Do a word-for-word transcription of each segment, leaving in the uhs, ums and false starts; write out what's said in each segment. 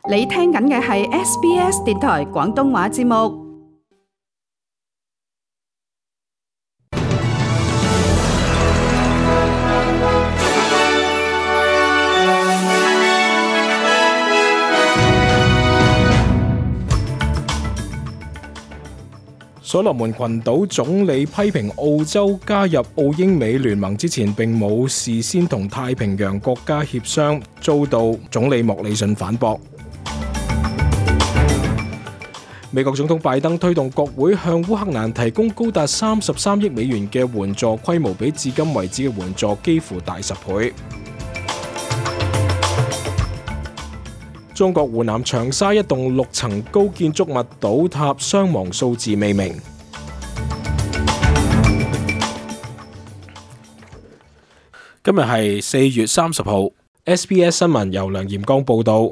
你聽緊嘅係 S B S 電台廣東話節目。所羅門群島總理批評澳洲加入澳英美聯盟之前並冇事先同太平洋國家協商，遭到總理莫里遜反駁。美國總統拜登推動國會向烏克蘭提供高達三十三億美元嘅援助，規模比至今為止嘅援助幾乎大十倍。中國湖南長沙一棟六層高建築物倒塌，傷亡數字未明。今日係四月三十號 ，S B S 新聞由梁炎光報道。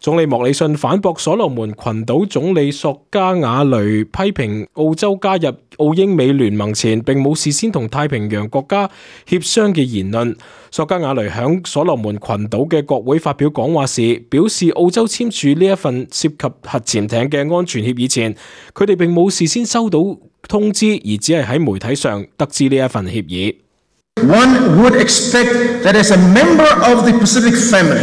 總理莫里遜反駁所羅門群島總理索加瓦雷批評澳洲加入澳英美聯盟前並冇事先同太平洋國家協商嘅言論。索加瓦雷響所羅門群島嘅國會發表講話時，表示澳洲簽署呢一份涉及核潛艇嘅安全協議前，佢哋並冇事先收到通知，而只係喺媒體上得知呢一份協議。One would expect that as a member of the Pacific family,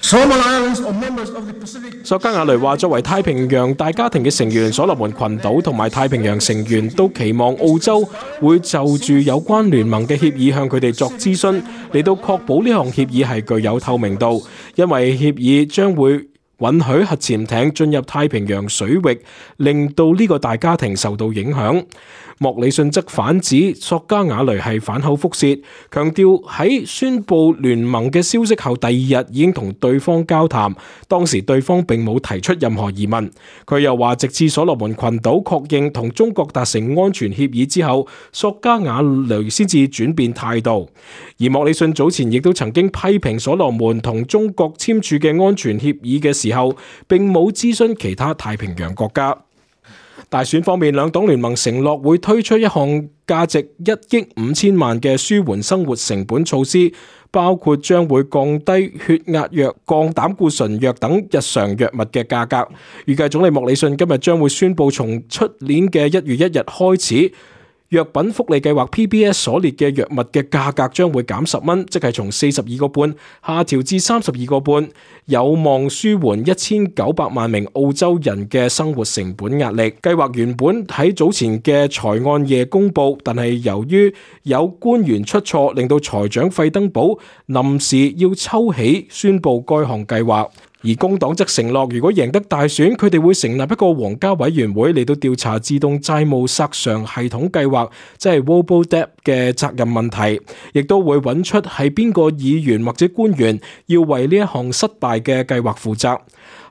Solomon Islands or members of the Pacific。索加瓦雷話：作為太平洋大家庭嘅成員，所羅門群島同埋太平洋成員都期望澳洲會就住有關聯盟嘅協議向佢哋作諮詢，嚟到確保呢項協議係具有透明度，因為協議將會允許核潛艇進入太平洋水域，令到呢個大家庭受到影響。莫里遜則反指索加瓦雷係反口覆舌，強調喺宣布聯盟嘅消息後第二日已經同對方交談，當時對方並冇提出任何疑問。佢又話，直至所羅門群島確認同中國達成安全協議之後，索加瓦雷先至轉變態度。而莫里遜早前亦都曾經批評所羅門同中國簽署嘅安全協議嘅時候，並冇諮詢其他太平洋國家。大選方面，兩黨聯盟承諾會推出一項價值一億五千萬嘅舒緩生活成本措施，包括將會降低血壓藥、降膽固醇藥等日常藥物嘅價格。預計總理莫里遜今日將會宣布，從出年嘅一月一日開始，藥品福利計劃 P B S 所列嘅藥物嘅價格將會減十蚊，即係從四十二個半下調至三十二個半，有望舒緩一千九百萬名澳洲人嘅生活成本壓力。計劃原本喺早前嘅財案夜公布，但係由於有官員出錯，令到財長費登堡臨時要抽起宣布該項計劃。而工黨則承諾，如果贏得大選，佢哋會成立一個皇家委員會嚟到調查自動債務索償系統計劃，即係 Robo-Debt 嘅責任問題，亦都會揾出係邊個議員或者官員要為呢一項失敗嘅計劃負責。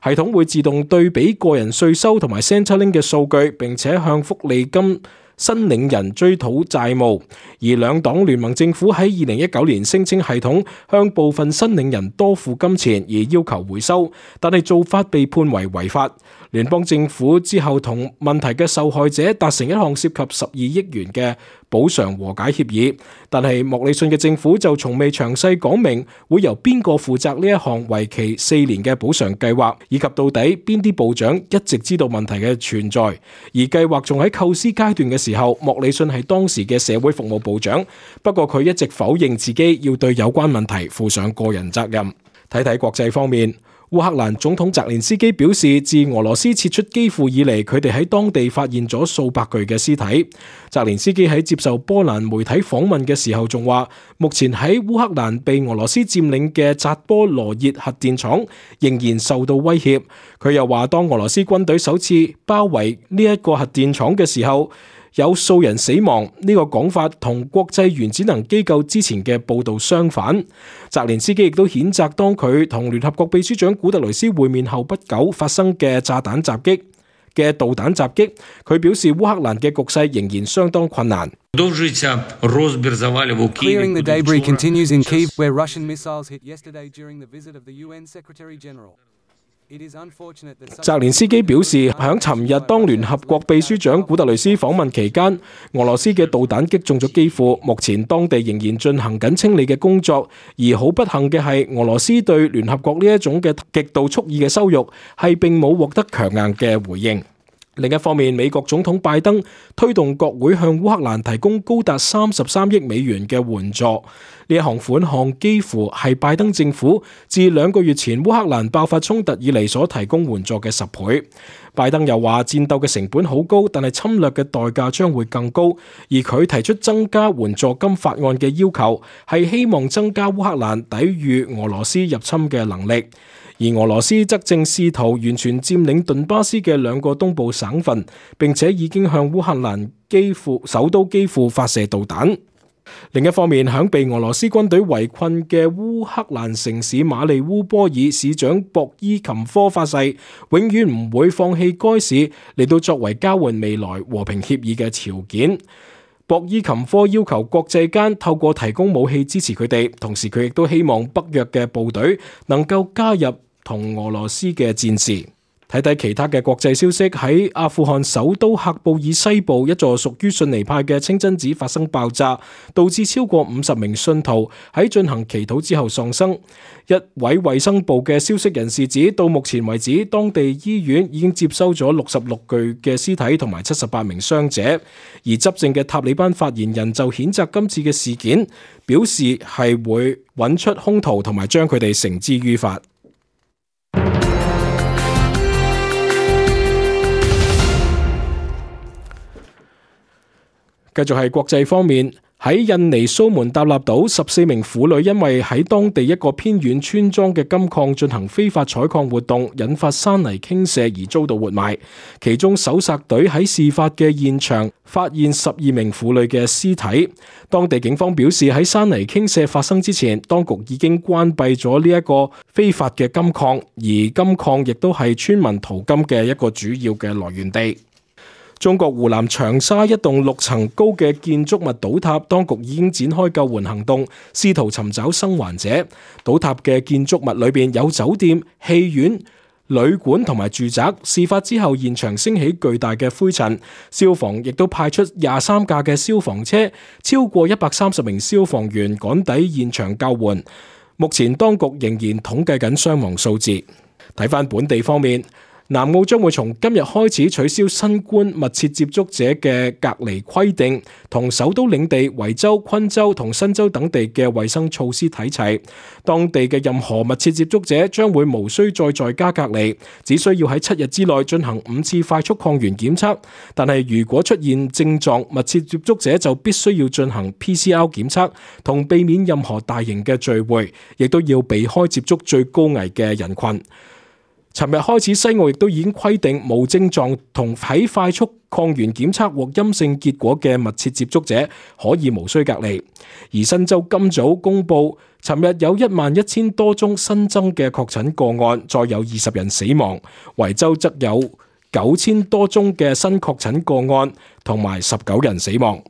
系統會自動對比個人稅收同埋 Centrelink 嘅數據，並且向福利金申領人追討債務。而兩黨聯盟政府喺二零一九年聲稱系統向部分申領人多付金錢而要求回收，但係做法被判為違法。聯邦政府之後同問題嘅受害者達成一項涉及十二億元嘅補償和解協議，但係莫里遜嘅政府就從未詳細講明會由邊個負責呢一項為期四年嘅補償計劃，以及到底邊啲部長一直知道問題嘅存在。而計劃仲喺構思階段嘅時候，莫里遜係當時嘅社會服務部長，不過佢一直否認自己要對有關問題負上個人責任。睇睇國際方面。烏克蘭總統澤連斯基表示，自俄羅斯撤出基輔以嚟，佢哋喺當地發現咗數百具嘅屍體。澤連斯基喺接受波蘭媒體訪問嘅時候仲話，目前喺烏克蘭被俄羅斯佔領嘅扎波羅熱核電廠仍然受到威脅。佢又話，當俄羅斯軍隊首次包圍呢一個核電廠嘅時候，有數人死亡，呢個講法同國際原子能機構之前嘅報導相反。澤連斯基亦都譴責當佢同聯合國秘書長古特雷斯會面後不久發生嘅炸彈襲擊嘅導彈襲擊。佢表示烏克蘭嘅局勢仍然相當困難。Clearing the debris continues in Kyiv, where Russian missiles hit yesterday during the visit of the U N Secretary General. 澤連斯基表示，響尋日當聯合國秘書長古特雷斯訪問期間，俄羅斯嘅導彈擊中咗基輔，目前當地仍然進行緊清理嘅工作。而好不幸嘅係，俄羅斯對聯合國呢一種嘅極度蓄意嘅羞辱，係並冇獲得強硬嘅回應。另一方面，美國總統拜登推動國會向烏克蘭提供高達三十三億美元嘅援助，呢一項款項幾乎係拜登政府自兩個月前烏克蘭爆發衝突以嚟所提供援助嘅十倍。拜登又話，戰鬥嘅成本好高，但係侵略嘅代價將會更高，而佢提出增加援助金法案嘅要求，係希望增加烏克蘭抵禦俄羅斯入侵嘅能力。而俄羅斯則正試圖完全佔領頓巴斯嘅兩個東部省份，並且已經向烏克蘭基輔首都基輔發射導彈。另一方面，響被俄羅斯軍隊圍困嘅烏克蘭城市馬利烏波爾市長博伊琴科發誓，永遠唔會放棄該市嚟到作為交換未來和平協議嘅條件。博伊琴科要求國際間透過提供武器支持佢哋，同時佢亦都希望北約嘅部隊能夠加入同俄羅斯嘅戰事。睇睇其他嘅國際消息，喺阿富汗首都喀布爾西部一座屬於遜尼派嘅清真寺發生爆炸，導致超過五十名信徒喺進行祈禱之後喪生。一位衛生部嘅消息人士指，到目前為止，當地醫院已經接收咗六十六具嘅屍體同埋七十八名傷者。而執政嘅塔利班發言人就譴責今次嘅事件，表示係會揾出兇徒同埋將佢哋繩之於法。繼續係國際方面，喺印尼蘇門答臘島，十四名婦女因為喺當地一個偏遠村莊嘅金礦進行非法採礦活動，引發山泥傾瀉而遭到活埋。其中搜索隊喺事發嘅現場發現十二名婦女嘅屍體。當地警方表示，喺山泥傾瀉發生之前，當局已經關閉咗呢一個非法嘅金礦，而金礦亦都係村民淘金嘅一個主要嘅來源地。中國湖南長沙一棟六層高嘅建築物倒塌，當局已經展開救援行動，試圖尋找生還者。倒塌嘅建築物裏邊有酒店、戲院、旅館同埋住宅。事發之後，現場升起巨大嘅灰塵，消防亦都派出廿三架嘅消防車，超過一百三十名消防員趕抵現場救援。目前當局仍然統計緊傷亡數字。睇返本地方面，南澳將會從今日開始取消新冠密切接觸者嘅隔離規定，同首都領地維州、昆州同新州等地嘅衛生措施睇齊。當地嘅任何密切接觸者將會無需再在家隔離，只需要喺七日之內進行五次快速抗原檢測。但係如果出現症狀，密切接觸者就必須要進行 P C R 檢測，同避免任何大型嘅聚會，亦都要避開接觸最高危嘅人群。尋日開始，西澳亦都已經規定無症狀同喺快速抗原檢測獲陰性結果嘅密切接觸者可以無需隔離。而新州今早公布，尋日有一萬一千多宗新增嘅確診個案，再有二十人死亡。維州則有九千多宗嘅新確診個案，同埋十九人死亡。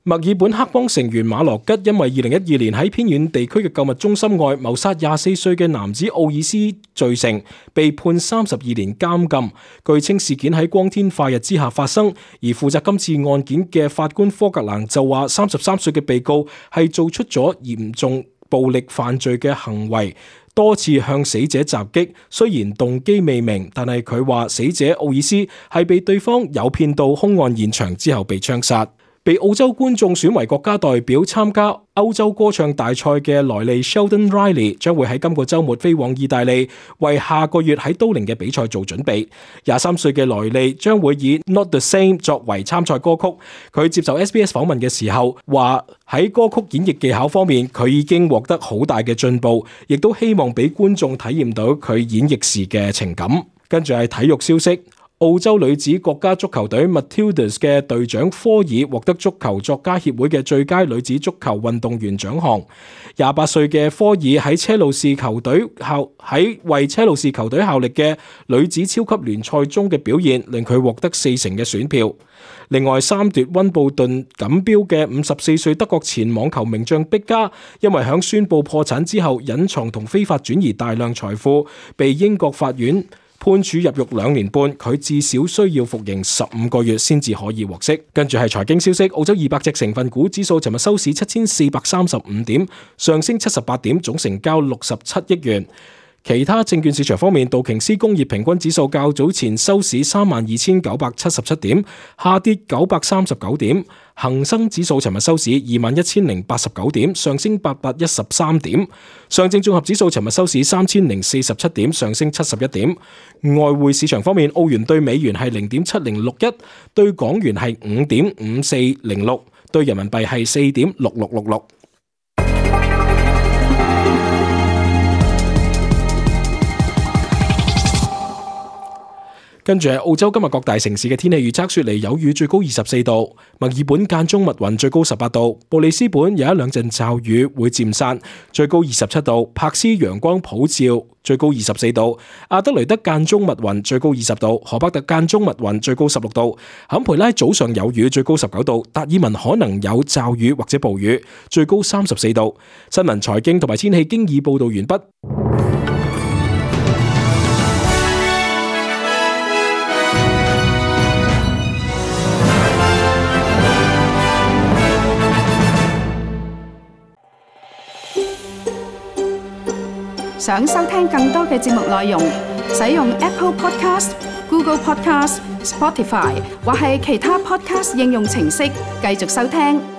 墨爾本黑幫成員馬羅吉因為二零一二年喺偏遠地區嘅購物中心外謀殺廿四歲嘅男子奧爾斯罪成，被判三十二年監禁。據稱事件喺光天化日之下發生，而負責今次案件嘅法官科格蘭就話，三十三歲嘅被告係做出咗嚴重暴力犯罪嘅行為，多次向死者襲擊，雖然動機未明，但係佢話死者奧爾斯係被對方誘騙到兇案現場之後被槍殺。被澳洲觀眾選為國家代表參加歐洲歌唱大賽嘅萊利 Sheldon Riley 將會喺今個週末飛往意大利，為下個月喺都靈嘅比賽做準備。廿三歲嘅萊利將會以 Not the Same 作為參賽歌曲。佢接受 S B S 訪問嘅時候話，喺歌曲演繹技巧方面，佢已經獲得好大嘅進步，亦都希望俾觀眾體驗到佢演繹時嘅情感。跟住係體育消息。澳洲女子國家足球隊 Matildas 嘅隊長科爾獲得足球作家協會嘅最佳女子足球運動員獎項。廿八歲嘅科爾喺車路士球隊效喺為車路士球隊效力嘅女子超級聯賽中嘅表現，令佢獲得四成嘅選票。另外，三奪溫布頓錦標嘅五十四歲德國前網球名將碧加，因為響宣布破產之後隱藏同非法轉移大量財富，被英國法院判處入獄兩年半，佢至少需要服刑十五個月先至可以獲釋。跟住係財經消息，澳洲二百隻成分股指數尋日收市七千四百三十五點，上升七十八點，總成交六十七億元。其他證券市場方面，道瓊斯工業平均指數較早前收市三萬二千九百七十七點，下跌九百三十九點。恒生指數尋日收市二萬一千零八十九點，上升八百一十三點。上證綜合指數尋日收市三千零四十七點，上升七十一點。外匯市場方面，澳元對美元係零點七零六一，對港元係五點五四零六，對人民幣係四點六六六六。跟住係澳洲今日各大城市嘅天氣預測，雪梨有雨，最高二十四度；墨爾本間中密雲，最高十八度；布里斯本有一兩陣驟雨，會漸散，最高二十七度；柏斯陽光普照，最高二十四度；阿德雷德間中密雲，最高二十度；荷伯特間中密雲，最高十六度；坎培拉早上有雨，最高十九度；達爾文可能有驟雨或者暴雨，最高三十四度。新聞、財經同埋天氣經已報道完畢。想收聽更多嘅節目內容，使用 Apple Podcast、Google Podcast、Spotify 或係其他 Podcast 應用程式繼續收聽。